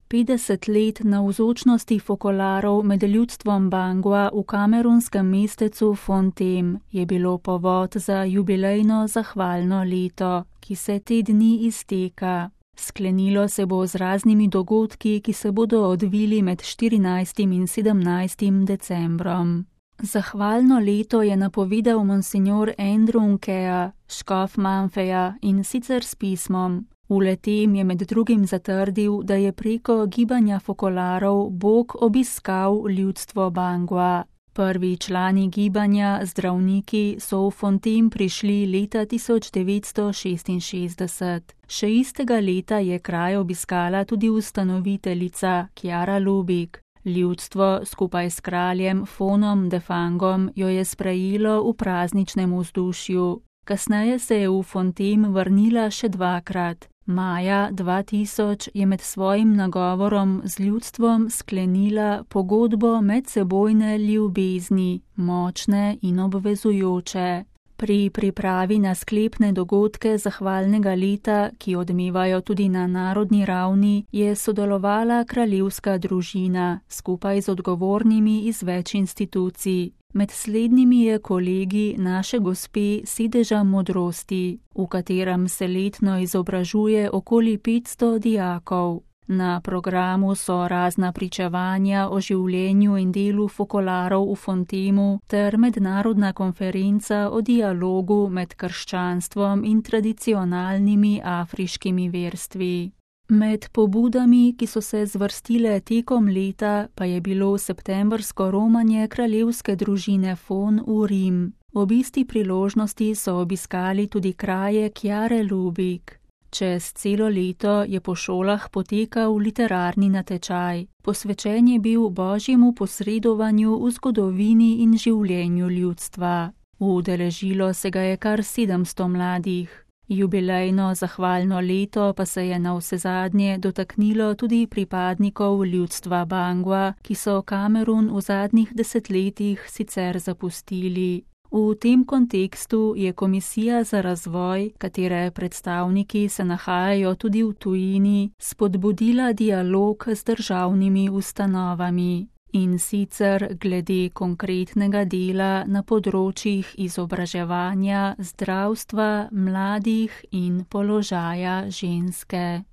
50 let navzočnosti fokolarov med ljudstvom Bangua v kamerunskem mestecu Fontem je bilo povod za jubilejno zahvalno leto, ki se te dni izteka. Sklenilo se bo z raznimi dogodki, ki se bodo odvili med 14. in 17. decembrom. Zahvalno leto je napovedal monsignor Andrew Nkea, škof Manfeja, in sicer s pismom. V le-tem je med drugim zatrdil, da je preko gibanja fokolarov Bog obiskal ljudstvo Bangua. Prvi člani gibanja, zdravniki, so v Fontem prišli leta 1966. Še istega leta je kraj obiskala tudi ustanoviteljica Chiara Lubich. Ljudstvo skupaj s kraljem Fonom de Fangom jo je sprejelo v prazničnem vzdušju. Kasneje se je v Fontem vrnila še dvakrat. Maja 2000 je med svojim nagovorom z ljudstvom sklenila pogodbo medsebojne ljubezni, močne in obvezujoče. Pri pripravi na sklepne dogodke zahvalnega leta, ki odmevajo tudi na narodni ravni, je sodelovala kraljevska družina skupaj z odgovornimi iz več institucij. Med slednjimi je kolegi naše gospe Sedeža modrosti, v katerem se letno izobražuje okoli 500 dijakov. Na programu so razna pričevanja o življenju in delu fokolarov v Fontemu ter mednarodna konferenca o dialogu med krščanstvom in tradicionalnimi afriškimi verstvi. Med pobudami, ki so se zvrstile tekom leta, pa je bilo septembrsko romanje kraljevske družine Fon v Rim. Ob isti priložnosti so obiskali tudi kraje Chiare Lubich. Čez celo leto je po šolah potekal literarni natečaj. Posvečen je bil božjemu posredovanju v zgodovini in življenju ljudstva. Udeležilo se ga je kar 700 mladih. Jubilejno zahvalno leto pa se je navsezadnje dotaknilo tudi pripadnikov ljudstva Bangua, ki so Kamerun v zadnjih desetletjih sicer zapustili. V tem kontekstu je Komisija za razvoj, katere predstavniki se nahajajo tudi v tujini, spodbudila dialog z državnimi ustanovami. In sicer glede konkretnega dela na področjih izobraževanja, zdravstva, mladih in položaja ženske.